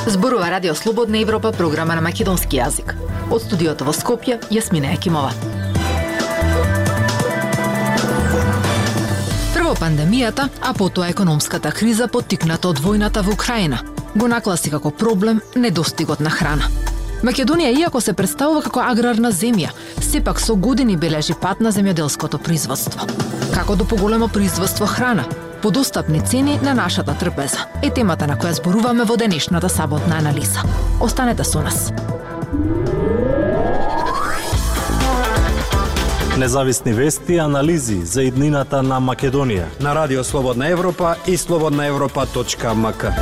Зборува Радио Слободна Европа, програма на македонски јазик. Од студиото во Скопје, Јасмина Екимова. Прво пандемијата, а потоа економската криза поттикната од војната во Украина го нагласи како проблем недостигот на храна. Македонија, иако се представува како аграрна земја, сепак со години бележи пат на земјоделското производство. Како до поголемо производство храна, по достапни цени на нашата трпеза е темата на која зборуваме во денешната саботна анализа. Останете со нас. Независни вести и анализи за иднината на Македонија на Радио Слободна Европа и slobodnaevropa.mk.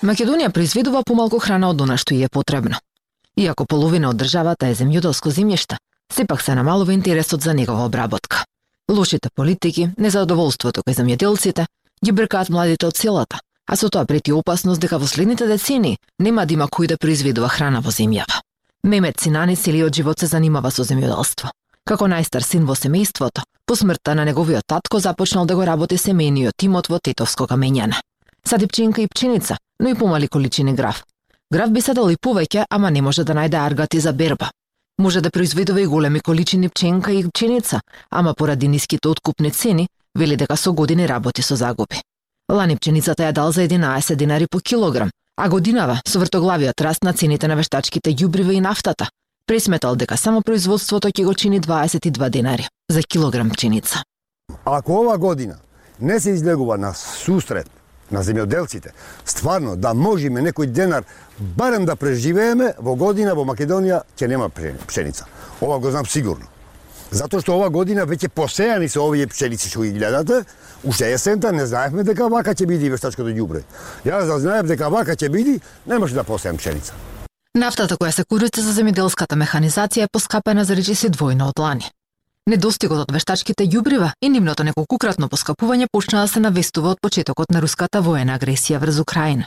Македонија произведува помалку храна од она што ѝ е потребно. Иако половина од државата е земјоделско земјиште, сепак се намалува интересот за негова обработка. Лошите политики, незадоволството кај земјоделците ги бркаат младите од селата, а со тоа прети опасност дека во следните децении нема да има кој да произведува храна во земјава. Мемет Синани целиот живот се занимава со земјоделство. Како најстар син во семејството, по смртта на неговиот татко започнал да го работи семејниот тимот во Тетовско камењане. Сади пченка и пченица, но и помали количини грав. Грав би садал и повеќе, ама не може да најде аргати за берба. Може да произведува и големи количини пченка и пченица, ама поради ниските откупни цени, вели дека со години работи со загуби. Лани пченицата ја дал за 11 динари по килограм, а годинава со вртоглавиот раст на цените на вештачките ѓубрива и нафтата, пресметал дека само производството ќе го чини 22 динари за килограм пченица. Ако ова година не се излегува на сусрет на земјоделците, стварно да можеме некој денар барем да преживееме, во година во Македонија ќе нема пшеница. Ова го знам сигурно. Затоа што ова година веќе посејани се овие пшеници што ги гледате, уште есента не знаевме дека вака ќе биде вештачкото ѓубре. Јас да знаев дека вака ќе биде, немаше да посеам пшеница. Нафтата која се користи за земјоделската механизација е поскапена за речиси двојно од лани. Недостигот од вештачките ѓубрива и нивното неколкукратно поскапување почна да се навестува од почетокот на руската воена агресија врз Украина.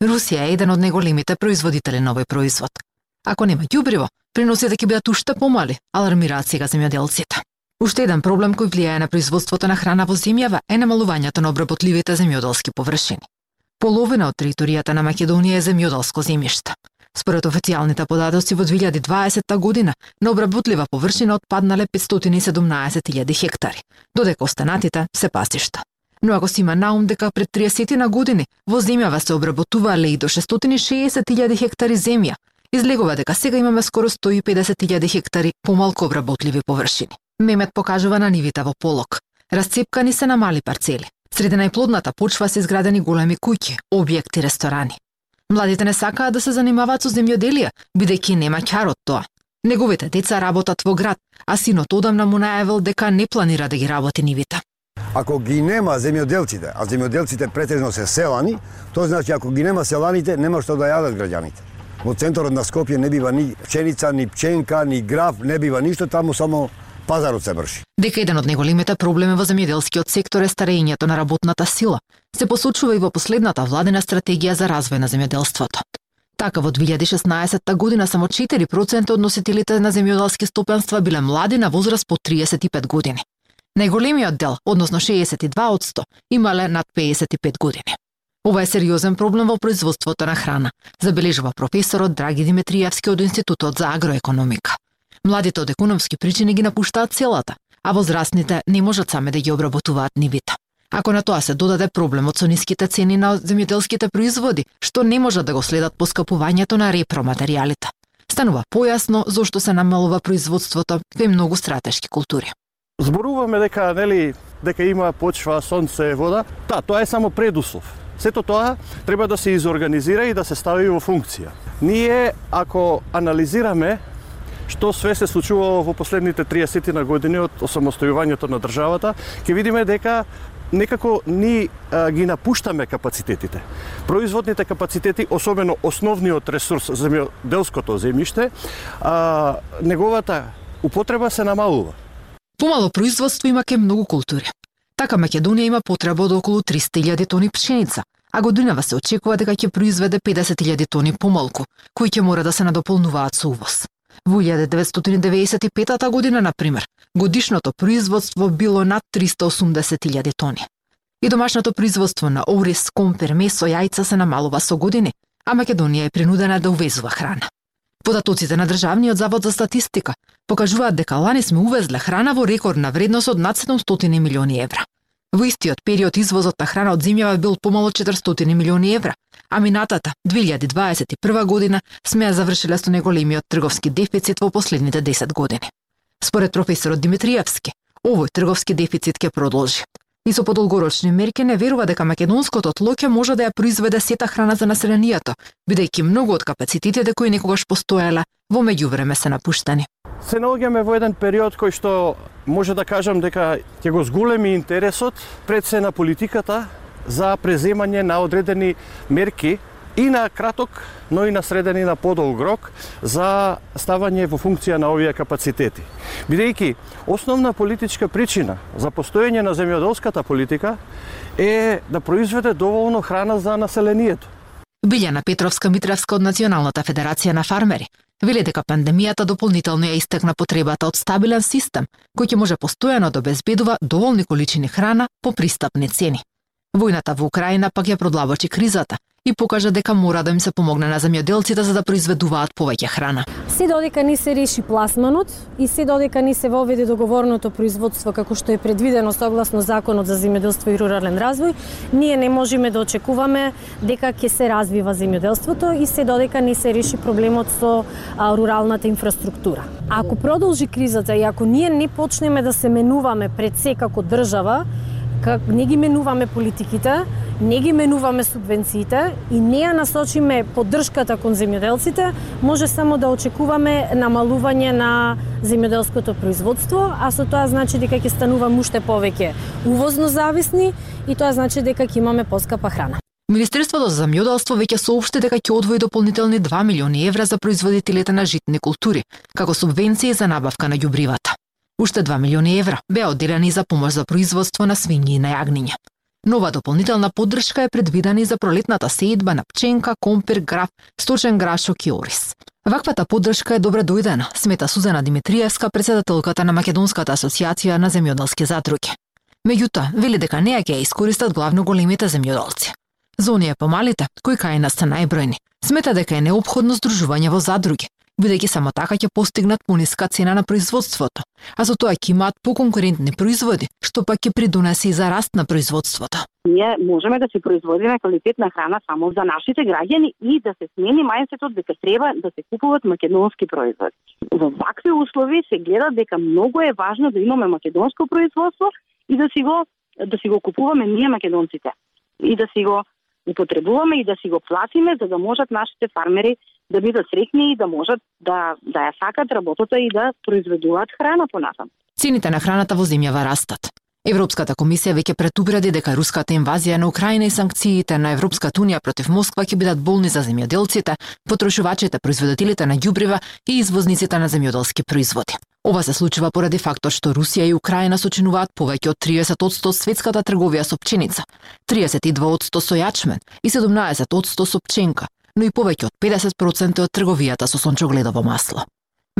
Русија е еден од најголемите производители на овој производ. Ако нема ѓубриво, приносите ќе бидат уште помали, алармираат сега земјоделците. Уште еден проблем кој влијае на производството на храна во земјава е намалувањето на обработливите земјоделски површини. Половина од територијата на Македонија е земјоделско земјиште. Според официјалните податоци во 2020 година на обработлива површина отпаднале 517.000 хектари, додека останатите се пасишта. Но ако се има наум дека пред 30 на години во земјава се обработувале и до 660.000 хектари земја, излегува дека сега имаме скоро 150.000 хектари помалку обработливи површини. Мемет покажува на нивите во полок. Расцепкани се на мали парцели. Среде најплодната почва се изградени големи куќи, објекти, ресторани. Младите не сакаат да се занимаваат со земјоделие, бидејќи нема ќар од тоа. Неговите деца работат во град, а синот одамна му најавил дека не планира да ги работи нивите. Ако ги нема земјоделците, а земјоделците претежно се селани, тоа значи ако ги нема селаните, нема што да јадат граѓаните. Во центарот на Скопје не бива ни пченица, ни пченка, ни грав, не бива ништо, таму само пазарот се врши. Дека еден од најголемите проблеми во земјоделскиот сектор е старењето на работната сила, се посочува и во последната владина стратегија за развој на земјоделството. Така во 2016 година само 4% од носителите на земјоделски стопанства биле млади на возраст по 35 години. Најголемиот дел, односно 62%, имале над 55 години. Ова е сериозен проблем во производството на храна, забележува професорот Драги Димитриевски од Институтот за агроекономика. Младите од економски причини ги напуштаат селата, а возрастните не можат сами да ги обработуваат нивите. Ако на тоа се додаде проблемот со ниските цени на земјоделските производи, што не можат да го следат поскапувањето на репроматеријалите, станува појасно зошто се намалува производството кај многу стратешки култури. Зборуваме дека има почва, сонце, вода. Тоа е само предуслов. Сето тоа треба да се изорганизира и да се стави во функција. Ние, ако анализираме што све се случувало во последните 30 на години од осамостојувањето на државата, ќе видиме дека некако ни ги напуштаме капацитетите. Производните капацитети, особено основниот ресурс, земјоделското земјиште, неговата употреба се намалува. Помало производство има кај многу култури. Така Македонија има потреба од околу 300.000 тони пшеница, а годинава се очекува дека ќе произведе 50.000 тони помалку, кои ќе мора да се надополнуваат со увоз. Во 1995 година, например, годишното производство било над 380.000 тони. И домашното производство на ориз, компир, месо, јајца се намалува со години, а Македонија е принудена да увезува храна. Податоците на Државниот завод за статистика покажуваат дека лани сме увезле храна во рекордна вредност од над 700 милиони евра. Во истиот период извозот на храна од земјава бил помало 400 милиони евра, а минатата 2021 година сме ја завршиле со најголемиот трговски дефицит во последните 10 години. Според професорот Димитриевски, овој трговски дефицит ќе продолжи. И со подолгорочни мерки не верува дека македонското тло ќе може да ја произведе сета храна за населението, бидејќи многу од капацитетите кои некогаш постоеле во меѓувреме се напуштени. Се наоѓаме во еден период кој што може да кажам дека ќе го зголеми интересот пред се на политиката за преземање на одредени мерки и на краток, но и на среден и на подолг рок за ставање во функција на овие капацитети. Бидејќи основна политичка причина за постоење на земјоделската политика е да произведе доволно храна за населението. Билјана Петровска-Митревска од Националната федерација на фармери вели дека пандемијата дополнително ја истакна потребата од стабилен систем кој ќе може постојано да обезбедува доволни количини храна по пристапни цени. Војната во Украина пак ја продлабочи кризата и покажа дека мора да им се помогне на земјоделците за да произведуваат повеќе храна. Се додека не се реши пласманот и се додека не се воведе договорното производство како што е предвидено согласно Законот за земјоделство и рурален развој, ние не можеме да очекуваме дека ќе се развива земјоделството и се додека не се реши проблемот со руралната инфраструктура. Ако продолжи кризата и ако ние не почнеме да се менуваме пред се како држава, не ги менуваме политиките, не ги менуваме субвенциите и не ја насочиме поддршката кон земјоделците, може само да очекуваме намалување на земјоделското производство, а со тоа значи дека ќе стануваме уште повеќе увозно зависни и тоа значи дека ќе имаме поскапа храна. Министерството за земјоделство веќе соопшти дека ќе одвои дополнителни 2 милиони евра за производителите на житни култури, како субвенции за набавка на ѓубривата. Уште 2 милиони евра беа одделени за помош за производство на свињи и на јагниња. Нова дополнителна поддршка е предвидена и за пролетната сеидба на пченка, компир, граф, сточен грашок и ориз. Ваквата поддршка е добре дојдена, смета Сузана Димитриевска, председателката на Македонската асоциација на земјоделски задруги. Меѓутоа, вели дека неа ќе ја искористат главно големите земјоделци. За оние помалите, кои кај нас се најбројни, смета дека е неопходно здружување во задруги, бидејќи само така ќе постигнат пониска цена на производството, а со тоа ќе имаат поконкурентни производи, што пак ќе придонесе и за раст на производството. Ние можеме да се производиме квалитетна храна само за нашите граѓани и да се смени мајндсетот дека треба да се купуват македонски производи. Во вакви услови се гледа дека многу е важно да имаме македонско производство и да си го купуваме ние македонците и да си го употребуваме и да си го платиме за да можат нашите фармери да бидат среќни и да можат да ја сакат работата и да произведуваат храна понатаму. Цените на храната во земјава растат. Европската комисија веќе предупреди дека руската инвазија на Украина и санкциите на Европската унија против Москва ќе бидат болни за земјоделците, потрошувачите, производителите на ѓубрива и извозниците на земјоделски производи. Ова се случува поради фактот што Русија и Украина сочинуваат повеќе од 30% светската трговија со пченица, 32% со јачмен и 17% со пченка, но и повеќе од 50% од трговијата со сончогледово масло.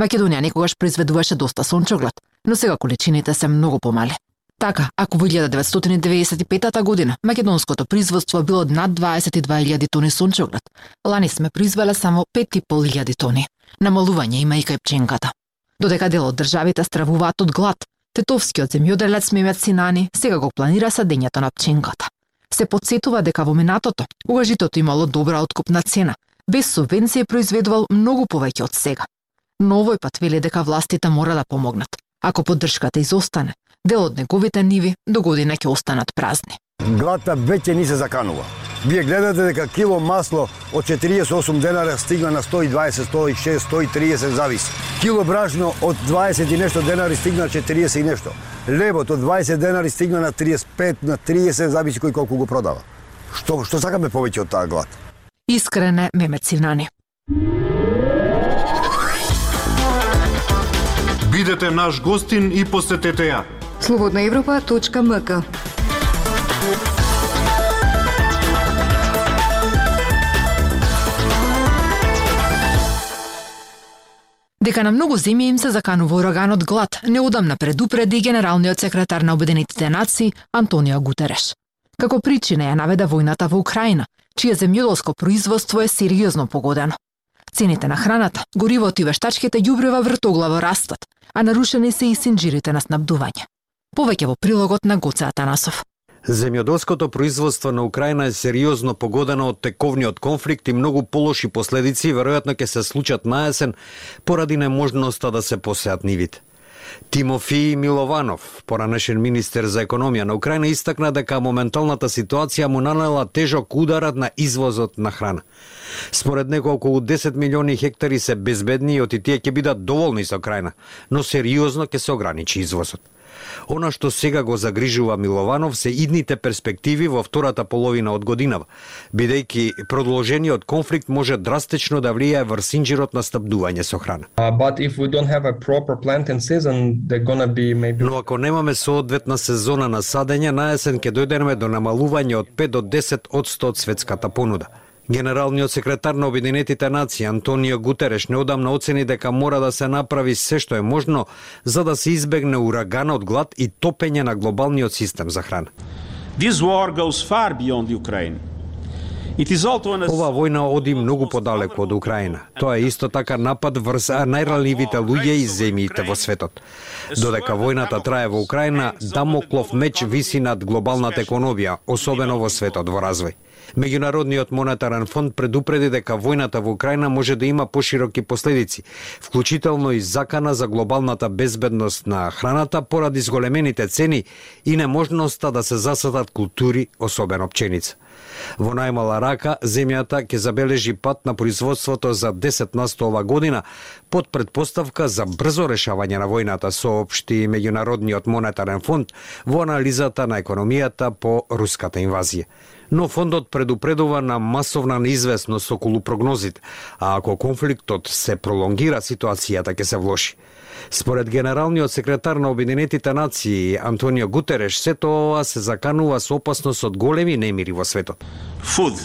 Македонија некогаш произведуваше доста сончоглед, но сега количините се многу помали. Така, ако во 1995 година македонското производство било над 22.000 тони сончоглед, лани сме произвеле само 5.500 тони. Намалување има и кај пченката. Додека дел од државите стравуваат од глад, тетовскиот земјоделец Мемет Синани сега го планира садењето на пченката. Се потсетува дека во минатото, кога житото имало добра откупна цена, без субвенции произведувал многу повеќе од сега. Но овој пат вели дека властите мора да помогнат. Ако поддршката изостане, дел од неговите ниви до година ќе останат празни. Гладта веќе ни се заканува. Вие гледате дека кило масло од 48 денара стигна на 120, 106, 130 зависи. Кило бражно од 20 и нешто денари стигна на 40 и нешто. Лебот од 20 денари стигна на 35, на 30, зависи кој колку го продава. Што сакаме повеќе од таа глад? Искрене Мемет Синани. Бидете наш гостин и посетете ја. Слободнаевропа.мк Дека на многу земји им се заканува ураганот глад, неодамна предупреди генералниот секретар на Обединетите нации Антонио Гутереш. Како причина ја наведе војната во Украина, чие земјоделско производство е сериозно погодено. Цените на храната, горивото и вештачките ѓубрива вртоглаво растат, а нарушени се и синџирите на снабдување. Повеќе во прилогот на Гоце Атанасов. Земјоделското производство на Украина е сериозно погодено од тековниот конфликт и многу полоши последици веројатно ќе се случат на есен поради неможноста да се посеат нивите. Тимофи Милованов, поранешен министер за економија на Украина, истакна дека моменталната ситуација му нанела тежок ударат на извозот на храна. Според него околу 10 милиони хектари се безбедни и оти тие ќе бидат доволни со Украина, но сериозно ќе се ограничи извозот. Она што сега го загрижува Милованов се идните перспективи во втората половина од годинава, бидејќи продолжениот конфликт може драстично да влијае врз синџирот на снабдување со храна. Но ако немаме соодветна сезона на садење, на есен ќе дојдеме до намалување од 5 до 10% од светската понуда. Генералниот секретар на Обединетите нации Антонио Гутереш неодамна оцени дека мора да се направи се што е можно за да се избегне ураганот глад и топење на глобалниот систем за храна. Ова војна оди многу подалеку од Украина. Тоа е исто така напад врз најранливите луѓе и земјите во светот. Додека војната трае во Украина, дамоклов меч виси над глобалната економија, особено во светот во развој. Меѓународниот монетарен фонд предупреди дека војната во Украина може да има пошироки последици, вклучително и закана за глобалната безбедност на храната поради зголемените цени и неможноста да се засадат култури, особено пченица. Во најмала рака, земјата ќе забележи пат на производството за 10% ова година, под предпоставка за брзо решавање на војната, соопшти Меѓународниот монетарен фонд во анализата на економијата по руската инвазија. Но фондот предупредува на масовна неизвестност околу прогнозите, а ако конфликтот се пролонгира, ситуацијата ќе се влоши. Според генералниот секретар на Обединетите нации Антонио Гутереш, сето ова се заканува со опасност од големи немири во светот. Food,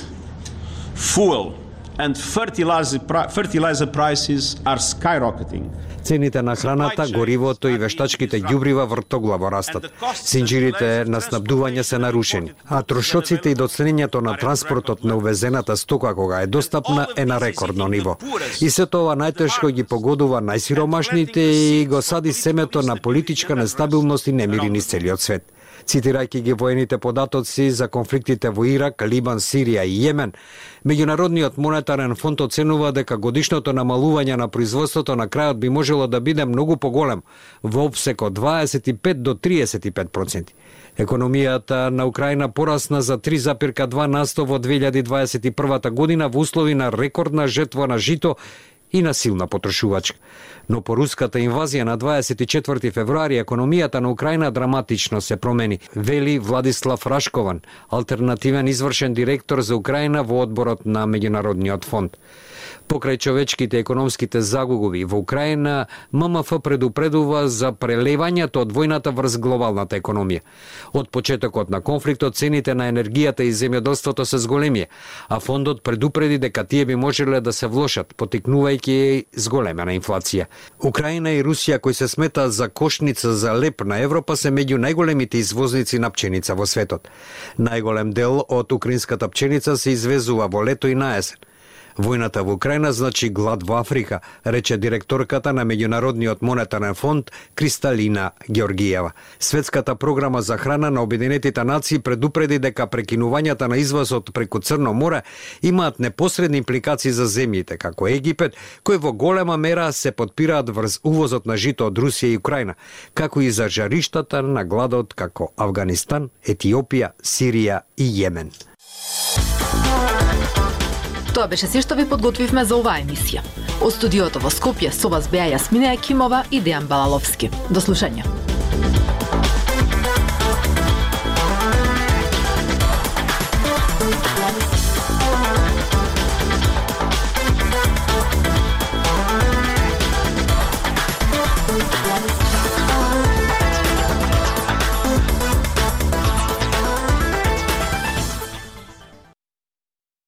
fuel and fertilizer prices are skyrocketing. Цените на храната, горивото и вештачките ѓубрива вртоглаво растат. Синџирите на снабдување се нарушени, а трошоците и доцнењето на транспортот на увезената стока кога е достапна е на рекордно ниво. И се тоа најтешко ги погодува најсиромашните и го сади семето на политичка нестабилност и немири низ целиот свет. Цитирајќи ги воените податоци за конфликтите во Ирак, Либан, Сирија и Јемен, Меѓународниот монетарен фонд оценува дека годишното намалување на производството на крајот би можело да биде многу поголем, во опсек од 25 до 35%. Економијата на Украина порасна за 3,2% во 2021 година во услови на рекордна жетва на жито и на силна потрошувачка. Но по руската инвазија на 24 февруари економијата на Украина драматично се промени, вели Владислав Рашкован, алтернативен извршен директор за Украина во одборот на Меѓународниот фонд. Покрај човечките економските загуби во Украина, ММФ предупредува за прелевањето од војната врз глобалната економија. Од почетокот на конфликтот цените на енергијата и земјоделството се зголемија, а фондот предупреди дека тие би можеле да се влошат, потикнувајќи зголемена инфлација. Украина и Русија, кои се сметаат за кошница за леп на Европа, се меѓу најголемите извозници на пченица во светот. Најголем дел од украинската пченица се извезува во лето и на есен. Војната во Украина значи глад во Африка, рече директорката на Меѓународниот монетарен фонд Кристалина Георгиева. Светската програма за храна на Обединетите нации предупреди дека прекинувањата на извозот преку Црно море имаат непосредни импликации за земјите како Египет, кои во голема мера се подпираат врз увозот на жито од Русија и Украина, како и за жариштата на гладот како Авганистан, Етиопија, Сирија и Јемен. Тоа беше се што ви подготвивме за оваа емисија. Од студиото во Скопје со вас беа Јасмина Екимова и Дејан Балаловски. До слушање.